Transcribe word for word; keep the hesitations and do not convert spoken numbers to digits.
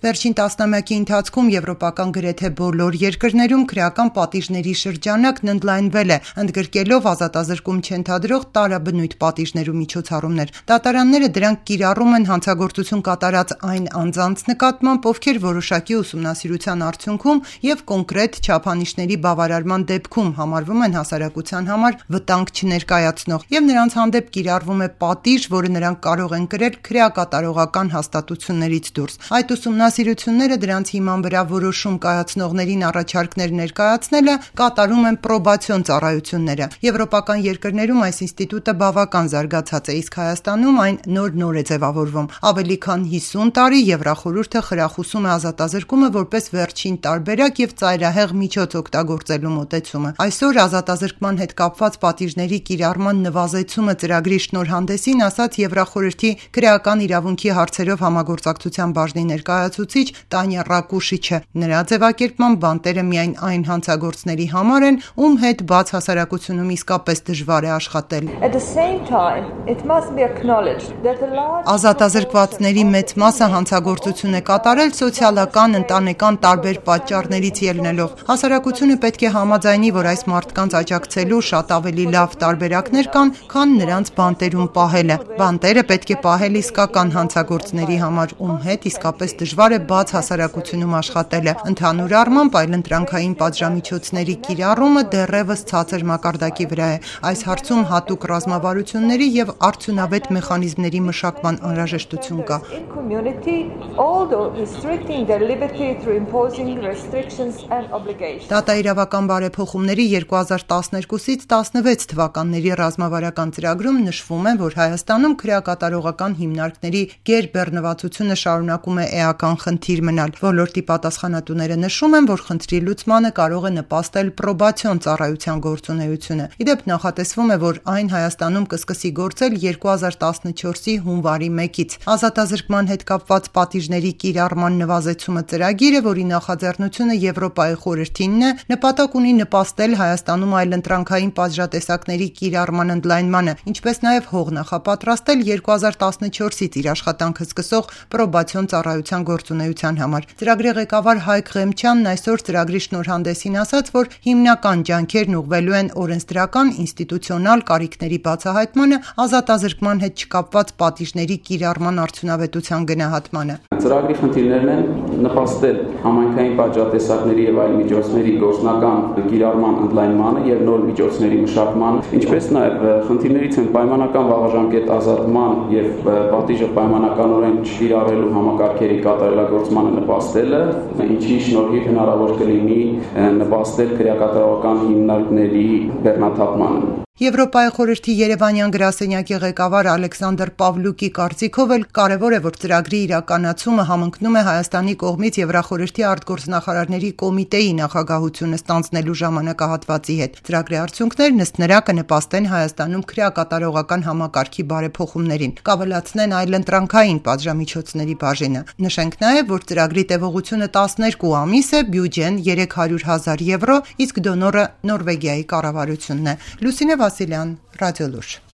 Վերջին տասնամյակի ընթացքում եվրոպական գրեթե բոլոր երկրներում քրեական պատիժների շրջանակն ընդլայնվել է, ընդգրկելով ազատազրկում չընդհանրող տարաբնույթ պատիժներ ու միջոցառումներ։ Դատարանները դրանք կիրառում են հանցագործություն կատարած այն անձանց նկատմամբ, ովքեր որոշակի ուսումնասիրության արդյունքում եւ կոնկրետ չափանիշների բավարարման դեպքում համարվում են հասարակության համար վտանգ չներկայացնող, եւ նրանց հանդեպ կիրառվում է պատիժ, որը նրանք կարող են կրել քրեակատարողական հաստատություններից դուրս։ Այդ ուսումնասիրությունները դրանց հիման վրա որոշում կայացնողներին առաջարկներ ներկայացնելը կատարում են պրոբացիոն ծառայությունները։ Եվրոպական երկրներում այս ինստիտուտը բավական զարգացած է, իսկ Հայաստանում այն նոր-նոր է ձևավորվում։ Ավելի քան հիսուն տարի Եվրախորհուրդը խրախուսում է ազատազրկումը որպես վերջին տարբերակ եւ ծայրահեղ միջոց օգտագործելու մոտեցումը։ Այսօր ազատազրկման հետ կապված պատիժների կիրառման նվազեցումը ծրագրի շնորհանդեսին ասաց Եվրախորհրդի քրեական իրավունքի հարցերով համագործակցության բաժնի ներկայացուցիչ Տանյա Ռակուշիչը։ Նրա ձևակերպման բանտերը միայն այն հանցագործների համար են, ում հետ բաց հասարակությունում իսկապես դժվար է աշխատել։ Ազատազրկվածների մեծ մասը հանցագործություն է կատարել սոցիալական, ընտանեկան տարբեր պատճառներից ելնելով։ Հասարակությունը պետք է համաձայնի, որ այս մարդկանց աջակցելու շատ ավելի լավ տարբերակներ կան, քան նրանց բանտերում պահելը։ Բանտերը պետք է պահել իսկական հանցագործների համար, ում հետ իսկապես դժվար է բաց հասարակությունում աշխատելը։ Ընդհանուր առմամբ այլընտրանքային պատժամիջոցների կիրառումը դեռևս ցածր մակարդակի վրա է։ Այս հարցում հատուկ ռազմավարությունների եւ արդյունավետ մեխանիզմների մշակման անհրաժեշտություն կա։ Դատաիրավական բարեփոխումների երկու հազար տասներկուսից տասնվեց թվականների ռազմավարական ծրագրում նշվում է, որ Հայաստանում քրեակատարողական հիմնարկների գերբեռնվածությունը շարունակում է էական խնդիր մնալ։ Ոլորտի պատասխանատուները նշում են, որ խնդրի լուծմանը կարող է նպաստել պրոբացիոն ծառայության գործունեությունը։ Իդեպ նախատեսվում է, որ այն Հայաստանում կսկսի գործել երկու հազար տասնչորսի հունվարի մեկից։ Ազատազրկման հետ կապված պատիժների կիրառման նվազեցումը ծրագիրը, որի նախաձեռնությունը Եվրոպայի խորհրդինն է, նպատակ ունի նպաստել Հայաստանում այլընտրանքային պատժատեսակների կիրառման ընդլայնմանը, ինչպես նաև հող նախապատրաստել երկու հազար տասնչորսից իր աշխատանքը սկսող պրոբացիոն ծառայության գործունեության համար։ Ծրագրի ղեկավար Հայկ Ղեմչյանն այսօր ծրագրի շնորհանդեսին ասաց, որ հիմնական ջանքերն ուղղվելու են օրենսդրական, ինստիտուցիոնալ կարիքների բացահայտմանը, ազատազրկման հետ չկապված պատիժների կիրառման արդյունավետության գնահատմանը։ Ծրագրի խնդիրներն են նպաստել համայնքային պատժատեսակների եւ այլ միջոցների գործնական կիրառման ընդլայնմանը եւ նոր միջոցների մշակմանը, ինչպես նաեւ խնդիրներից են պայմանական վաղաժամկետ ազատման եւ պատիժը պայմանականորեն չկիրառելու համակարգերի կատարելագործմանը նպաստելը, ինչի շնորհիվ հնարավոր կլինի նպաստել քրեակատարողական հիմնարկների բեռնաթափմանը։ Եվրոպայի խորհրդի Երևանյան գրասենյակի ղեկավար Ալեքսանդր Պավլուկի կարծիքով էլ կարևոր է, որ ծրագրի իրականացումը համընկնում է Հայաստանի կողմից Եվրախորհրդի արտգործնախարարների կոմիտեի նախագահությունը ստանձնելու ժամանակահատվածի հետ։ Ծրագրի արդյունքներն ըստ նրա կնպաստեն Հայաստանում քրեակատարողական համակարգի բարեփոխումներին, կավելացնեն այլընտրանքային պատժամիջոցների բաժինը։ Նշենք նաև, որ ծրագրի տևողությունը տասներկու ամիս է, բյուջեն երեք հարյուր հազար եվրո, իսկ դոնորը Նորվեգիայի կառավարությունն է։ Լուսինե Վասիլյան, Ռադիոլուր։